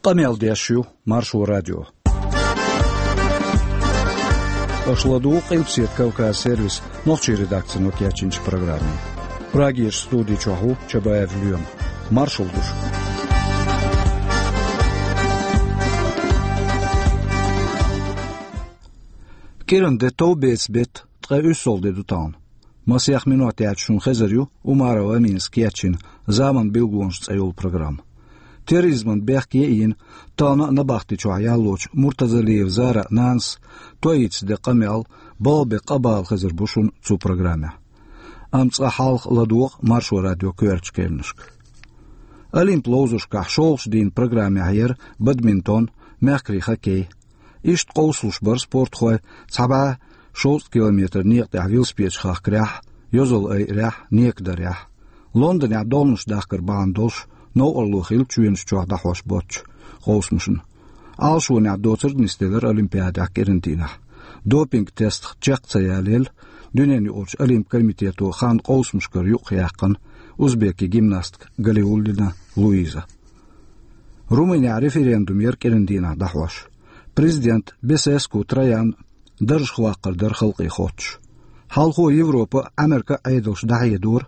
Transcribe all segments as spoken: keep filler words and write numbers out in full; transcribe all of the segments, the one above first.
Къамел деш ю Маршо радио. Аша ладугӀу Къилбаседа Кавказ сервисан нохчийн редакцино кечйинчу программе. Прагерчу студи чохь ву Чабаев Лоьма. Маршалла ду шуьга. КӀиранде товбеца беттан ткъе уьссалгӀа де ду тахана. Масех минот яьлча шуна хезар ю Умарова Аминас кечйина «Заманан билгалонаш» цӀе йолу программа. Терроризмана бехке а йина, тахана а набахти чохь яллочу Муртазалиева Заран нанас тоийца ден къамел балха бен къа бала хезар бу шуна цу программехь. Амма цкъа хьалха ладогӀа Маршо радион коьртачу кхаьънашка. Олимпан ловзаршкахь шолгӀачу дийнан программехь яра бадминтон, мехкарийн хоккей. Иштта къовсалуш бара спортхой цхьа бӀе шовзткъа километр некъа тӀехь велосипедаш хахкарехь, йозалла айарехь, нека дарехь. Лондонехь догӀанаш дахкар бахьана долуш новкъарло хилла чоьнаш чохь дӀахьош боцчу къовсамашна. Ӏалашонехь доцург нисделира Олимпиадехь кӀиран дийнахь. Допинг-тестах чекх ца ялаелла, дуьненаюкъарчу Олимпан комитето хан къовсамашкара юкъаяьккхина узбекийн гимнастка Галиуллина Луиза. Румынехь референдум яра кӀиран дийнахь дӀахьош. Президент Бесеску Троян даржах ваккхар дара халкъе хоттуш. Хьалхо Европа а, Ӏамерка а Ӏедалш дӀахьедора,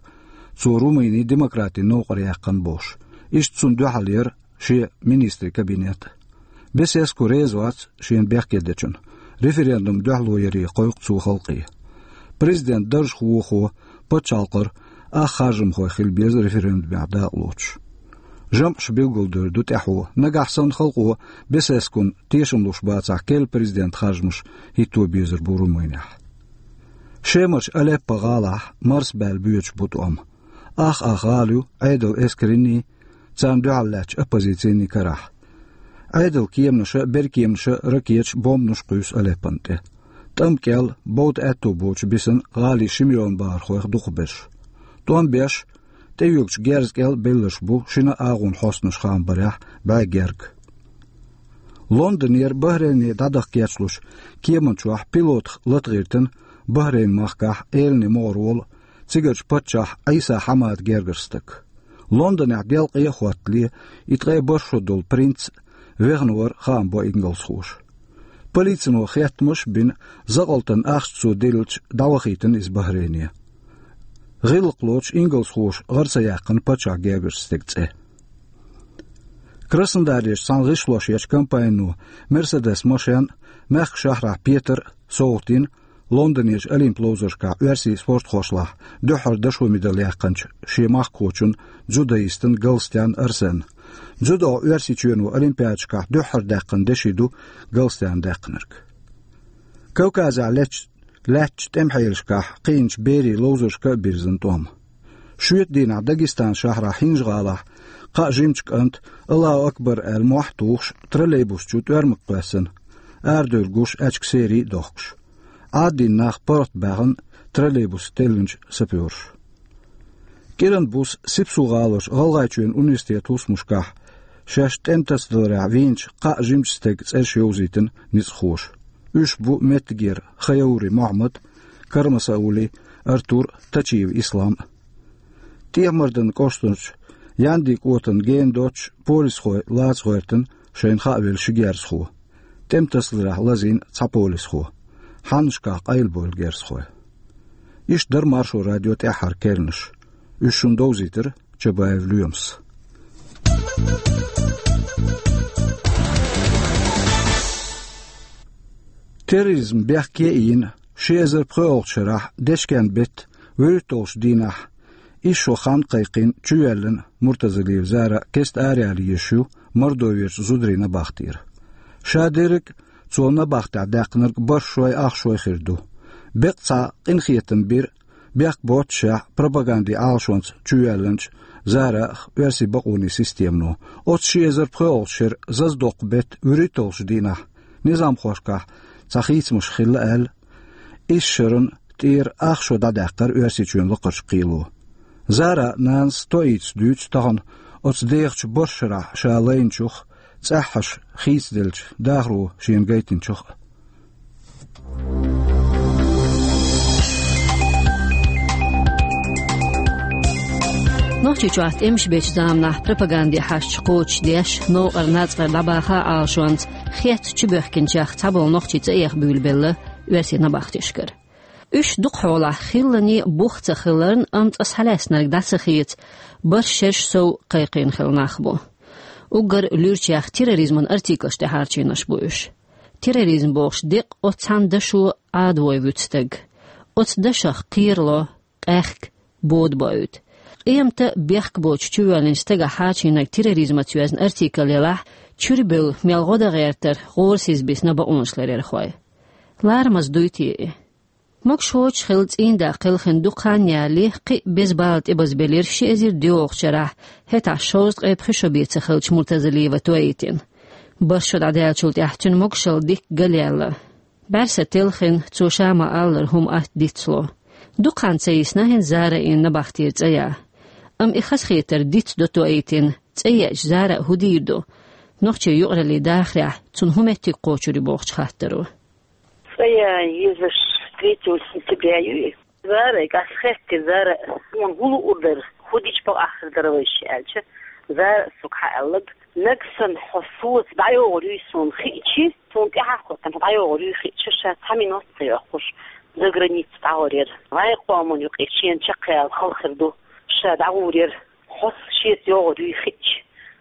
цо Румыни демократин новкъара яьккхина бохуш. Иштта цунна дуьхьал яра шен министрийн кабинет. Бесеску реза вац шена бехке дечунна. Референдум дуьхьало яре кхойкху цо халкъе. Президент даржах вохо пачхьалкхара ах харжамхой хила беза референдумехь дакъалоцуш. ЖамӀаш билгалдевр ду тӀаьхьо. Нагахь санна халкъо Бесескун тешам луш бацахь, керла президентан харжамаш хӀитто безар бу Румынехь. Шемарчу Алеппо гӀалахь марсабаьлла боьдуш бу тӀом. Ах-ах гӀала ю Ӏедалан эскарийн, царна дуьхьал лаьттачу оппозицин карахь. Ӏедалан кеманаша, беркеманаша ракеташ, бомбанаш кхуьйсу Алеппон тӀе. ТӀам кӀел, бовда аьтто боцуш бисина гӀалин ши миллион бахархойх дукхахберш. ТӀом беш, тӀеоьгучу герз кӀел белларш бу шина агӀонан хьостанаш хаам барехь бӀе герга. Лондонера Бахрейне дӀадаха кечлуш кеман чохь пилотах лата гӀиртина Бахрейн махкахь элане могӀарволу цигарчу паччахь Ӏийса Хьамадан гергара стаг. Лондонехь делкъе а хӀоттале, и ткъе бархӀ шо долу принц вехна вара, хаам бо ингалсхоша. Полицино хеттамаш а бина, закъалтан ахча цо деллачу дӀавахийтина иза Бахрейне. ГӀиллакх лоцуш ингалсхоша гӀара ца яьккхина паччахьан гергарчу стеган цӀе. Краснодарерчу цхьана гӀишлош ечу компанино Мерседес машен мехкан шахьарахь Петара совгӀатдина Лондонерчу Олимпан ловзаршкахь оьрсийн спортхошлахь дуьххьара дашо медаль яьккхинчу шен махкахочун, дзюдоистан Галстян Арсенна. Дзюдо Оьрсийчоьно Олимпиадашкахь дуьххьара даьккхина деши ду Галстяна даьккхинарг. Кавказехь лаьттачу, лаьттачу тӀемахьелашкахь кхиъначу берийн ловзаршка а бирзина тӀом. Шоьтан дийнахь Дагестанан шахьарахь ХӀинжа-ГӀалахь кхаа жимачу кӀанта «Аллаху акбар» аьлла мохь а тухуш, троллейбус чу тӀоьрмаг кхоьссина, арадевр гуш, аьчка серий а дохкуш. Ӏаддина нах паргӀат баьхна троллейбус теллинчу сапёраша. КӀиран буса Сипсу-гӀаларчу ГӀалгӀайчоьнан университетан хӀусамашкахь шаьш тӀеман тасадаларехь вийначу кхаа жимачу стеган цӀераш йовзийтина ницкъахоша. Уьш бу меттигера Хаяури Мохьмад, Кармасаули Артур, Тачиев Ислам. ТӀехьа-МарданкӀоштарчу Яндин кӀотана гена доццуш полисхой лаца гӀоьртина шайна хаавелла ши герзахо. ТӀеман тасадаларехь лазийна цхьа полисхо. Хьаннашкахь къайлабевлла герзахой. Иштта дара Маршо радион тӀаьххьара кхаьънаш. Уьш шуна довзийтира Чабаев Лоьмас. Терроризм бехке а йина, ши эзар пхоьалгӀачу шарахь дечкен беттан вуьрхӀитталгӀачу дийнахь исс шо хан кхайкхийна чувоьллина Муртазалиева Зара кеста араяла езаш ю Мордоверчу зударийн набахтера. Шадерриг а цо набахтехь даьккхинарг бархӀ шой, ах шой хир ду. Беккъа цхьа къинхетам бира бехк боццушехь пропагандин Ӏалашонца чувоьллинчу Зарах оьрсийн бакъонийн системано. Оцу ши эзар пхоьалгӀачу шеран зазадоккху беттан вуьрхӀитталгӀачу дийнахь низамхошкахь цхьа хийцамаш хилла аьлла, исс шарна тӀера ах шо дӀадаьккхира Оьрсийчоьнан лакхарчу кхело. Заран нанас тоийца дуьйцу тахана оцу дехачу бархӀ шарахь ша лайначух, цӀеххьана хийцаделлачу дахаро шена гайтинчух а. Нохчийчохь тӀемаш бечу заманахь пропаганде хьаьжча кхочушдеш, новкъара нацкъара дӀабаха Ӏалашонца хетта чубоьхкинчех цхьаболу нохчий цӀа эха буьйлабелла оьрсийн набахтешкара. Уьш дукхахьолахь хилларна бух ца хиларна, амма цкъа схьалаьцнарг дӀа ца хеца, бархӀ шераш сов кхайкхийна хилла нах бу. Уггар луьрачех терроризман артиклаш тӀехьарчийнарш бу уьш. Терроризм бохуш декъ оцу цхьана дашо Ӏадавой вуьту стаг. Оцу дашах кхерало, къаьхка, бода боуьйту. Къемата бехк боцуш чувоьллинчу стагах хьарчийнарг терроризмаца йоьзна артикл елахь, чуьра бевлла мел гӀо дан гӀертара гӀорасиз бисна бакъонашларъярхой. Ларамаза дуй те и? Могушочу хилла цӀийнда кхелхина дукха хан ялале, кхин а беза бала тӀебазбелира ши эзар доьалгӀачу шарахь, хӀетахь шовзткъе пхи шо бен ца хиллачу Муртазалиева Тоитина. БархӀ шо дӀадаьллачул тӀаьхьа цуьнан могушалла дикка галъяьлла. БӀаьрса телхина, цо ша ма-аллара хӀума атта дицло. Дукха хан ца йисна хӀинца Зарайн набахтера цӀа ян. Амма и хазахетар дицдо Тоитина, цӀа еача Зара а хӀун дийр ду? Нохчийн юкъараллин дахарехь цунна хӀун меттиг кхочур ю бохучу хаттаро. ЦӀа ян езаш третьего сентября ю и. Зарайга ас хаьттира, Зара, хьуна хӀун луур дара, хӀун дича бакъахьа хир дара вайша аьлча, Зара соьга хьааьлларг: нагахь санна хьо соьца дӀайогӀур юй суна хиъча, суна тӀаьхьа а хӀоттийна хьо дӀайогӀур юй хиъча, ша цхьа минот а ца йоккхуш, заграница дӀагӀур яра. Вайн къоман юкъе шена чекхъяла хала хир ду, ша дӀагӀур яра. Хьо шеца йогӀур юй хиъча,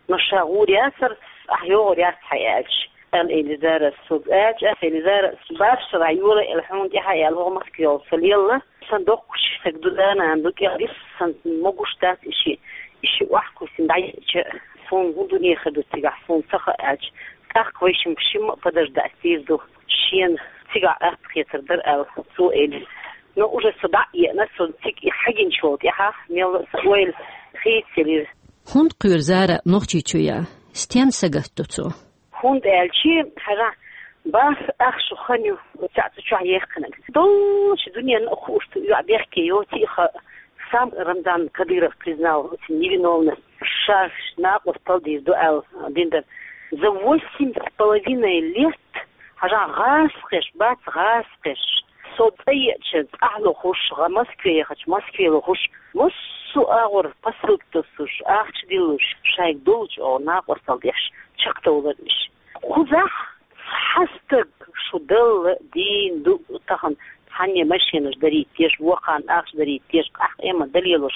но ша гӀур яцара, ахь йогӀур яц хьан аьлча, аьлла элира Зарас соьга. Аьлча ас элира Зарас: бархӀ шарахь йора аьлла хьуна тӀаьхьа аьлла, ваха Москве йолу сан лелла, сан доккхачу стаг ду, да-нана ду, кӀел дисса сан могуш дац и шиъ, и шиъ охьакхуьссина дӀаеъча, суна хӀун дуьне хир ду цигахь, суна ца хаьа аьлча, тӀаккха вайшимма шимма а подождать дийр ду, шена цигахь атта хетар дара аьлла, цо элира. Но уже со дӀа а еана, со цига и хьагинчул тӀаьхьа мелла а сан ойла хийцаелира. ХӀунда кхоьру Зара Нохчийчу ян? Стенна сагатдо цо? ХӀунда аьлча, хьажахь, бархӀ ах шо хан ю цхьаъ цу чохь яьккхинарг. Доллучу дуьненна а хууш ду, йоӀ бехке йоций а хаьа, сам Рамзан Кадыров признал оцу невиновность, ша накъосталла дийр ду аьлла дина дара. За восемь с половиной лет, хьажахь, гӀазкхеш бац, гӀазкхеш. Со цӀа еача цӀахь лохуш, гӀа Москве яхача Москве лохуш, массо а агӀор посылка тосуш, ахча диллуш, шайга долчу агӀор накъосталла деш чекхдовлар уьш. Кхузахь цхьа стаг шу Далла дийна ду тахана, цхьанне машенаш дарийта дезаш, вукхарна ахча дарийта дезаш, къахь къемат далелош,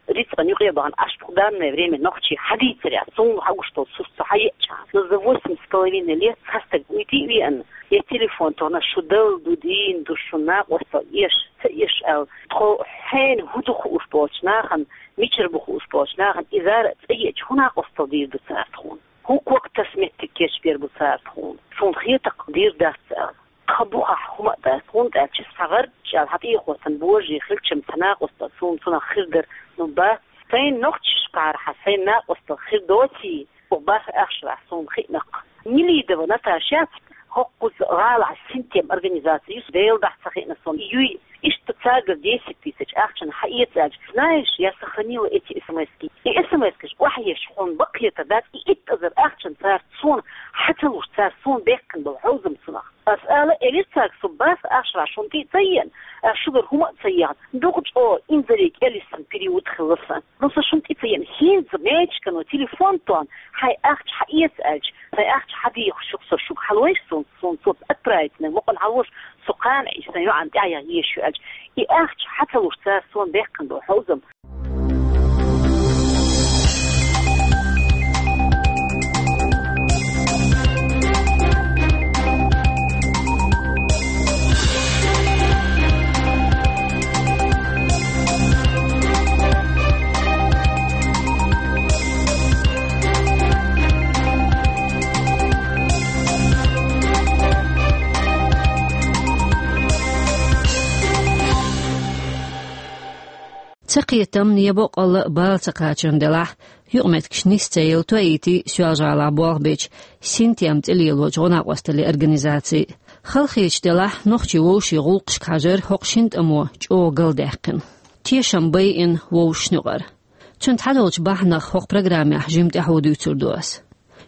рицкъан юкъе бахана, аш в данное время нохчий хьадийцарехь, суна хьагуш долу сурт со хьаеача, но за восемь с половиной лет цхьа стаг уйти а веана, я телефон тохна, шу Далла ду, дийна ду, шу накъосталла эш, ца эш аьлла, тхо хьенан хӀун ду хууш болчу нахана, мичара бу хууш болчу нахана, и Зара цӀа еача хӀун накъосталла дийр ду цара тхуна? ХӀун ког таса меттиг кечбер бу цара тхуна? Суна хетарг дийр дац аьлла. Тхан бухахь хӀума а дац, хӀунда аьлча сан гӀарччӀал хьан тӀехоцан божий хилчам ца накъосталла суна цунах хир дара, ну бац. Сайн нохчашкахьара хьан сайн накъосталла хир доций, оха бархӀ ах шарахь суна хиънакх. Нелидова Наташа яц, хӀокхуза гӀалахь Синтем организаци ю, Делан дуьхьа ца хиъна суна юй, иштта цаьргара десять тысяч ахчана хьаэца аьлча, знаешь, я сохранила эти эс эм эски. И эс эм эскаш охьаеш хьуна баккхетар дац, и итт эзар ахчана цара суна хьа ца луш, цара суна баьккхина болу хьовзам цунах. Ас ала элира цаьрга, со бархӀ ах шарахь шуна тӀе а ца еана, ас шуьгара хӀума а ца яхна, дукха чӀогӀа инзаре кӀелиссан период хилла сан. Ну, со шуна тӀе ца еана, хӀинца мечкано телефон тохна, хьайн ахча хьаэца аьлча, сайн ахча хьадехаш ю-кх со шуьга, хьалойша суна, суна цо отправить наг мукъана хьалош, со кхана Ӏийша сайн йоӀана тӀаьхьа яха езаш ю аьлча, и ахча хьа ца луш цара суна баьккхина болу хьовзам. Цакхетамна я боккъалла а бала ца кхачарна делахь, юкъаметтигаш нис ца елла Тоити Соьлжа-ГӀалахь болх бечу Синтем цӀе лелочу гӀо-накъосталлин организаци. Халахеташ делахь, нохчийн вовшийн гӀуллакхашка хьажар хӀокху шина тӀамо чӀогӀа галдаьккхина. Тешам байина вовшашна юкъара. Цуьнан цхьадолчу бахьанах хӀокху программехь жимма тӀаьхьо дуьйцур ду ас.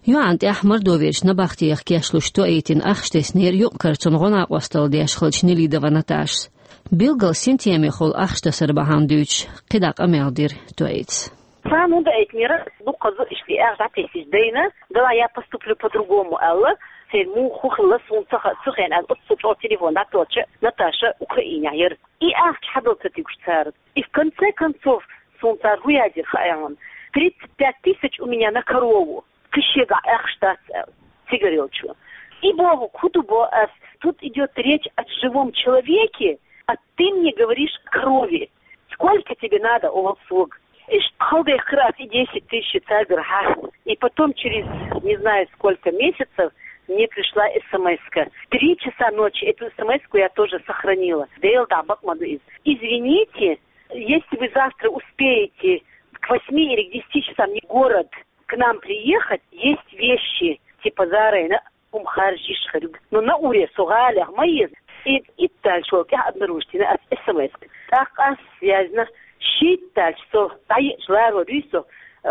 ЙоӀана тӀехь Мордоверчу набахтех кечлуш Тоитина ахча теснера юкъ-кара цунна гӀо-накъосталла деш хиллачу Нелидова Наташас. Билггал Синтемехула ахча тасар бахьана дуьйцуш, кхидӀа къамел дира Тоитас. Царна хӀун даийтинера, дукхаза иштта и ахча дӀатессича дайна, давай я поступлю по-другому аьлла, церан муха хӀу хилла суна ца ха-, ца хиъна аьлла, оццул чӀогӀа телефон дӀатоьхча, Наташа Украинехь яра. И ахча хьадала ца туьгуш цара. И в конце концов, суна цара хӀун яздира хаьий хьуна? Тридцать пять тысяч у меня на корову. Кхин шегахь ахча дац аьлла, цигара йолчо. И боху, хӀун ду бо ас, тут идёт речь о живом человеке, а ты мне говоришь о корове. Сколько тебе надо, оал сога? Иштта хьалдехкира ас и десять тысяч царгара хьа. И потом через не знаю сколько месяцев мне пришла СМС-ка. В три часа ночи эту СМС-ку я тоже сохранила. Дело да бакъ ма ду иза. Извините, если вы завтра успеете к восьми или к десяти часам не город к нам приехать, есть вещи, типа Зарайна хӀума харжа йиш хир ю. Но на уре со гӀалех ма еза. И итталчул тӀаьхьа обнаружить йина ас СМС. ТӀаккха ас яздина, шийтталча со дӀаеача ларо дуьйцу,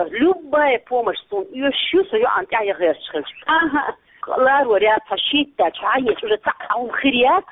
любая помощь суна оьшуш ю, со йоӀана тӀаьхьа яхарча хилча. Аха, ларо ряд хьо шийтталча хьо дӀаеача уже цхьа хӀума хир яц.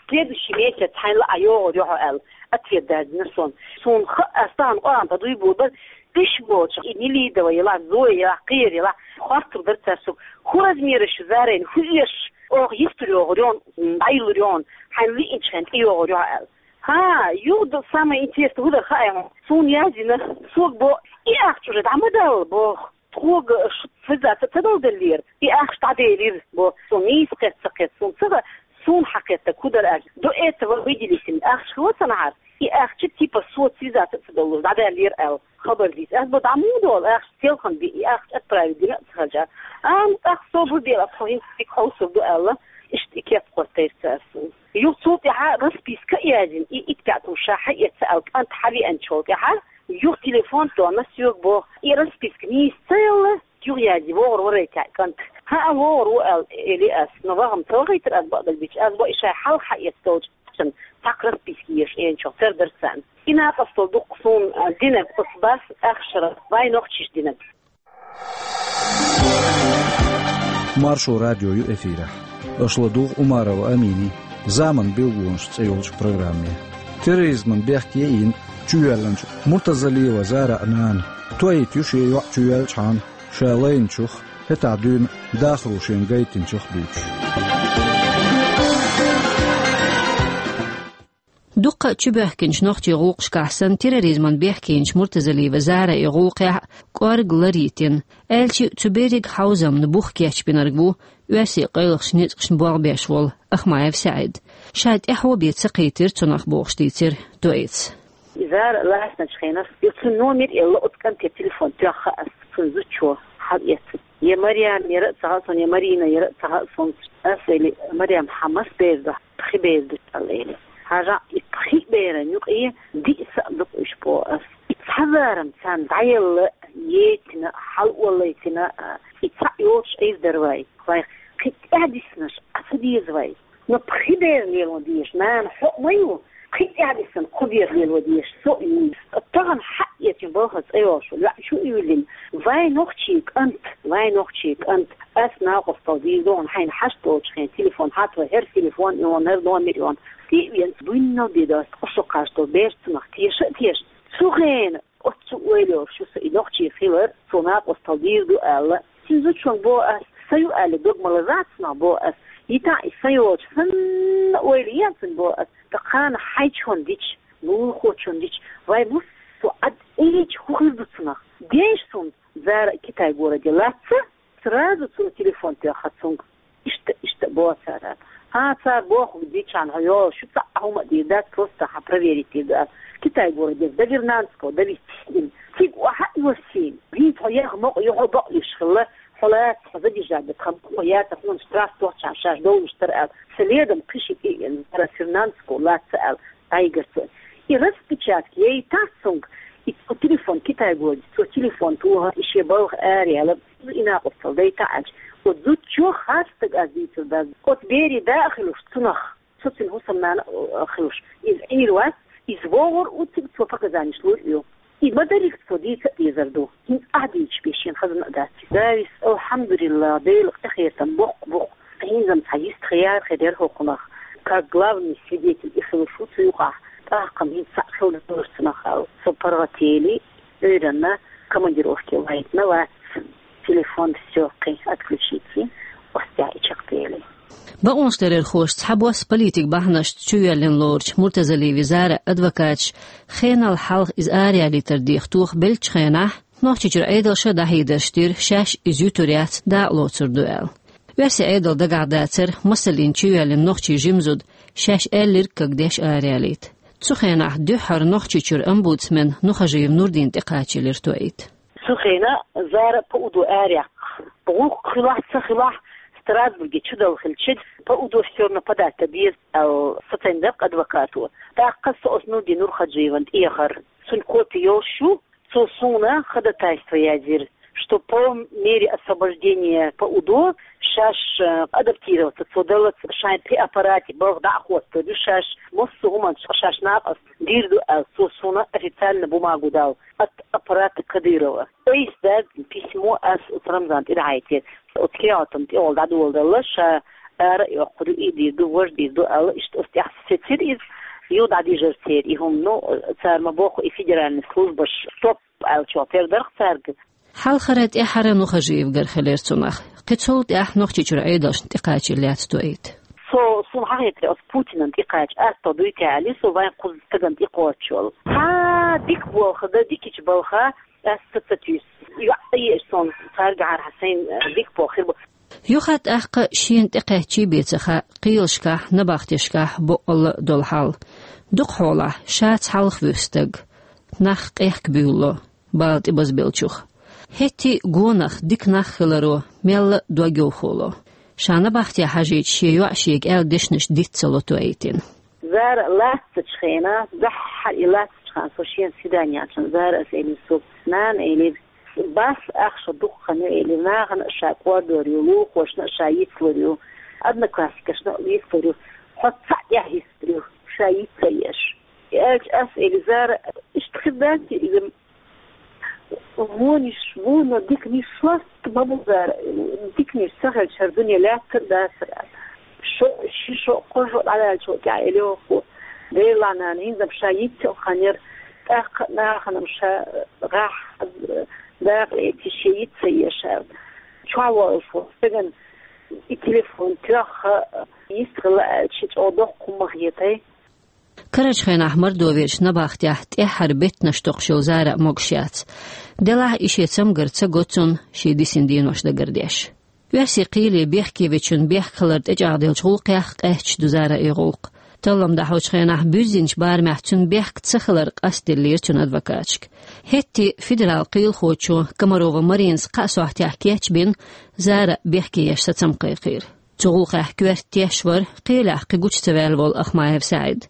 Следующий месяц хьайна лаа йогӀур ю хьо аьлла, ответ даздина суна. Суна хаьа, ас тахана къоам тӀа дуй буьйцур бара, уьш болчу, и Нелидова елахь, Зоя елахь, кхера елахь, хоттур дара цара сога, хӀун размераш ю Зарайна, хӀун оьшу, оха йистур йогӀур ю хьуна, дӀайиллар ю хьуна, хьайна лиъначу хенахь тӀейогӀур ю хьо аьлла. ХӀа, юха самое интересное хӀун дара хаьий хьуна, суна яздина, сога бо, и ахча уже дӀа ма далла боху. Тхога шу связаться ца далделлера, и ахча дӀаделира бо, со нийса кхетта ца кхетта, суна ца хаьа, суна хьакхетта хӀун дара аьлча, до этого выделить йина ахча хилла санна хьара, и ахча типа со связаться ца даллалц дӀадаьллера аьлла, хабар дийца. Ас бо дӀа муха долу ахча, селхана бен и ахча отправить дина а ца хилча. А, ну, тӀаккха со бу дела, тхо хӀинца цига хьовсур ду аьлла, иштта и кеп кхоттийра цара суна. Юха цул тӀаьхьа расписка а яздина, и итт бӀе тӀе ша хьаэца аьлла, кӀант хьавеанчул тӀаьхьа, юха телефон тоьхна соьга боху, и расписка нийса ца елла, юха язъе вогӀур варайтехь кӀант. ХӀаъ, вогӀур ву аьлла, эли ас, но ваха-м ца вахийтира ас бакъдерг дийцича, ас бо и шайн хьалха хьаэца долчу ахчанна цхьаккха расписка езаш, эначух тера дара царна. И накъосталла ду-кх суна, а, динарг оцу бас ахчара вайн нохчаша динарг. Маршо радио ю эфирехь. Аша ладугӀу Умарова Аминин «Заман билгалонаш» цӀе йолчу программе. Терроризман бехке йина чувоьллинчу Муртазалиева Зараан нана тоийта ю шен йоӀ чувоьллачхьана, ша лайначух, хӀетахь дуьйна дахаро шена гайтинчух дуьйцуш. Дуккха а чубоьхкинчу нохчийн гӀуллакхашкахь санна, терроризман бехке йинчу Муртазалиева Зараан гӀуллакхехь кӀорга лар йитина. Аьлча а, цу берриг хьовзамна бух кечбинарг ву оьрсийн къайлахчу ницкъашна болх беш волу Ахмаев СаӀид. Ша тӀаьхьо бен ца кхийтира цунах бохуш дийцира тоийца. Зара лаьцначу хенахь, и цуьнан номер элла оцу кӀанте телефон тоьхна ас, цуьнан зудчо хьалаэцна. Я Марьям яра а ца хаьа суна, я Марина яра а ца хаьа суна. Ас элира: «Марьям, хьан маса бер ду, пхи бер ду?» аьлла элира. Хьажахь, и пхи беран юкъе диъ са а ду-кх уьш, боху ас. И цхьа зарам царна дӀаелла, еттина, хьалаоллийтина, и цхьаъ йоцуш Ӏийр дара вай. Вай кхин тӀаьхьа диснарш Ӏа ца деза вай. Но пхи бер лело дезаш нана хьо а ма ю, кхин тӀаьхьа диссина кхо бер лело дезаш со а ю. Тахана хьаэцна балхара цӀе йолуш волу йоӀ чу а юьйлина. Вайн нохчийн кӀант, вайн нохчийн кӀант, ас накъосталла дийр ду хьуна, хьайна хьашт долчу хенахь телефон хьатта вай, хӀара телефон а йолу, хӀара номер а йолу. ТӀе а веана, буьйнал бен доцу ткъа шо кхаж долу бер цунах теша а тешна. Цу хенахь оццул ойла йолуш ю со и нохчи хилар, цо накъосталла дийр ду аьлла. Цуьнан зудчунга боху ас, сан ю аьлла дог ма лазза цунах, боху ас. Йитахь и сан йолчу санна ойла е цуьнан, боху ас. Ткъа кхана хьайчунна дича, лулахочунна дича, вай муссо а Ӏад ийча хӀун хир ду цунах? Ден суна, Зара Китай-городе лаьцна, сразу цунна телефон тоьхна цуьнга. Иштта, иштта боху цара. ХӀан, цара бохург дийцча хьо йолуш ю, цхьа а хӀума а дийр дац, просто хьан проверить дийр ду аьлла. Китай-городе до Вернадского довести. Цига охьа а йоссийна, хӀинца хьо яха мукъа ю, хьо бакъ йиш хилла, хьо лаца, хьо задержать дан тхан бакъо яцара, хьуна штраф тоьхча шаьш довлуш дара аьлла. Следом кхин шиъ тӀе а веана, Вернадского лаьцна аьлла, дӀайигира цо. И распечатка яйтахь цуьнга, и цо телефон Китай-городе, цо телефон тохар, и шен балха араяьлла. И накъосталла дайта аьлча, оцу зудчо, харц стаг, ас дийцар дац, оцу берийн да а хилуш цунах, со цуьнан хӀусамнана а хилуш, иза Ӏийр вац, иза вогӀур а ву цига, цо показаниш лур а ю. И ма-дарриг цо дийца а дезар ду. ХӀинца ахь дийцича бен шена хазна а дац. Завис, алхьамдулиллахӀ, Делан къинхетам боккха бу-кх. ХӀинца-м цхьа йист хияр хир яра хӀокхунах. Как главный свидетель и хилуш ву цу юкъахь. ТӀаккха-м хӀинца цхьаъ хила дезара цунах аьлла. Со паргӀатели, Ӏуьйранна, Командировке лайтна вац, телефон все кхин отключите, остя и чакътели. Бакъонаш лерархоша цхьабосса политик бахьанашца чуйоьллина лоручу Муртазалиева Заран адвокаташа хенал хьалха иза араяьллийтар деха тоха беллачу хенахь, Нохчийчуьра Ӏедалша дӀахьедарш дира, шаьш иза юьтур яц, дакъа лоцур ду аьлла. Оьрсийн Ӏедал дагахь дацара, масаллин чуйоьллина нохчийн жима зуда, шаьш аьлларг кагдеш араяьллийта. Цу хенахь дуьххьара Нохчийчуьра омбудсмен Нухажиев Нурдин тӀекхачийлира тоийта. Цу хенахь Зара ПУДО араяьккха. ГӀуллакх хилахь, ца хилахь, Страсбурге чудала хилча, ПУДО всё равно подать деза аьлла сацийна дара адвокато. ТӀаккха со оцу Нурдин Нурхажиевна тӀехьара. Цуьнан копи йолуш ю, цо суна ходатайство яздира, что по мере освобождения ПУДО шаьш, э, адаптироваться цо даллалц, шайн пхи аппарате балха дӀа а хӀоттор ю шаьш, массо а хӀуманаш шаьш накъост дийр ду аьлла, цо суна официально бумагу дала от аппарата Кадырова. Айса даьзна письмо ас оцу Рамзана тӀе дӀахьийтира. Оцу кехатана тӀехула дӀадоладалла, ша ара а йоккхур ю, и дийр ду, важа дийр ду аьлла, иштта оцу тӀехь сецира иза, юха дӀадижира церан и хӀума. Ну, цара ма бохху, и федеральный службаш стоп аьллачохь тера дарх цаьрга. Хьалхара, тӀаьххьара Нухажиевгара хилира цунах. Кхин цул тӀаьхьа Нохчийчуьра Ӏедалшна тӀекхачийла лаьцна тоийта. Со, суна хьахетарехь, оцу Путинан тӀекхача атто дуй те аьлла, со вайн кхузза стагана тӀекхочуш волу. Хьа, дика болх дан, дикачу балха, ас ца, ца туьйсу. ЙоӀ а еаш суна цаьргахьара хьан сайна дика болх хир бу. Юха тӀаккха шена тӀекхаьччий бен ца хаьа кхелашкахь, набахтешкахь боккъалла а долу хьал. Дукха хьолахь ша цхьалха вуьсу стаг. Нах къехка буьйлало, бала тӀебазбеллачух. ХӀетте а гонах, дика нах хиларо мелла а дог йовхо ло. Ша набахте хьажийча шен йоӀа шега аьлла дешнаш диц ца ло тоийтина. Зара лаьцначу хенахь, дуьххьара и лаьцначу хенахь, со шена свидание яьлча, Зара ас элира соьга: «Нана, — элира, — бас ахча дукха хан ю, — элира, — нахана а ша кӀордор ю, лулахошна а ша йицлур ю, одноклассникашна а йицлур ю, хьо цхьаъ тӀехь йицлур ю, ша йиц ца еш». И аьлча ас элира: «Зара, иштта хир дац иза, вонаш ву, но диканаш ласта ма бу, Зара, диканаш ца хилча хӀара дуьне лаьттар а дацара». Шо, ши шо, кхо шо дӀаваьллачул тӀаьхьа элира хӀокхо: «Дела, нана, хӀинца-м ша йиц йолу хан яра, тӀаккха а нахана-м ша гӀахь, дакъа леций, шен йиц ца еш», — аьлла. Чохь волуш волу стагана и телефон тоьхна, йистхила аьлча, шен чӀогӀа доккха хӀума ма хетай. Карарчу хенахь Мордоверчу набахтехь тӀаьххьара беттанаш токхуш йолу Зара а могуш яц. Делахь а и шен цамгар ца го цунна, шен дисина денош дагардеш. Оьрсийн кхеле бехке вечун бехк хилар тӀечӀагӀделлачу гӀуллакхех къаьсташ ду Заран и гӀуллакх. Таллам дӀахьочу хенахь буьззинчу барамехь цуьнан бехк ца хилар къастделлера цуьнан адвокаташка. ХӀетте федерал кхелахочо Комарова Маринас кхаа сохьтехь кечбина, Зара бехке еш сацам кхайкхийра. Цу гӀуллакхехь коьрта теш вара кхелехь кхин гучу ца ваьлла волу Ахмаев СаӀид.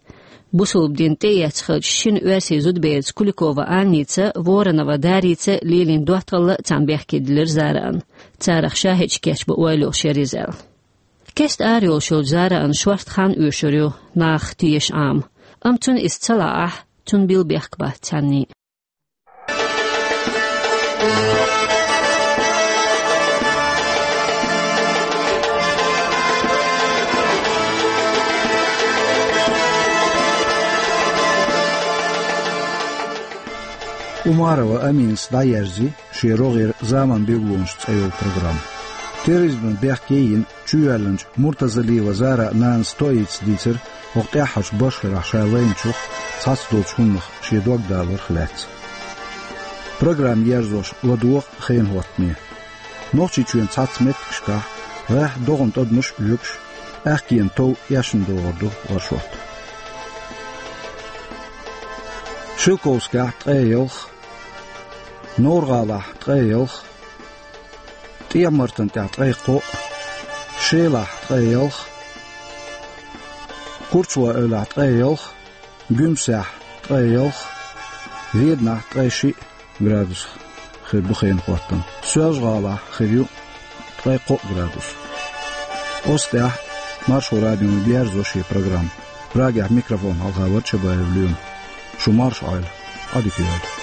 Бусалба дин тӀеэцна хиллачу шина оьрсийн зудаберца Куликова Анница, Воронова Дарица лелийна доттагӀалла а царна бехке диллира Зараан. Царах шахӀидаш кечбан ойла йолуш яра иза аьлла. Кеста ара йолуш йолчу Зараан шорта хан оьшур ю, нахах теша Ӏама. Амма цунна иза ца лаахь, цунна билла бехк бац цхьанний. Умарова Аминас дӀаерзи шен рогӀера «Заман билгалонаш» цӀе йолу программа. Терроризман бехке йина чуйоьллинчу Муртазалиева Заран нанас тоийца дийцира хӀокху тӀаьххьарчу башхаллехь ша лайначух цхьацца долчу хӀуманах шен дог даларх лаьцна. Программа ерзош ладогӀа хенан хӀоттаме. Нохчийчоьнан цхьацца меттигашкахь гӀеххьа догӀанан тӀадамаш а оьгуш, аьхкенан тов эшна догӀур ду оршот. Шелковскехь ткъе ялх, Новр-ГӀалахь ткъе ялх, ТӀехьа-Мартан тӀехь ткъе кхоъ, Шелахь ткъе ялх, Курчалой-Эвлахь ткъе ялх, Гуьмсехь ткъе ялх, Веданахь ткъе шиъ градус хир бу хенан хӀоттам. Соьлжа-ГӀалахь хир ю ткъе кхоъ градус. Оцу тӀехь Маршо радион берзо шен программа. Прагехь микрофон хьалха вара Чабаев Лема. Шу марша Ӏойла, Ӏадика йойла.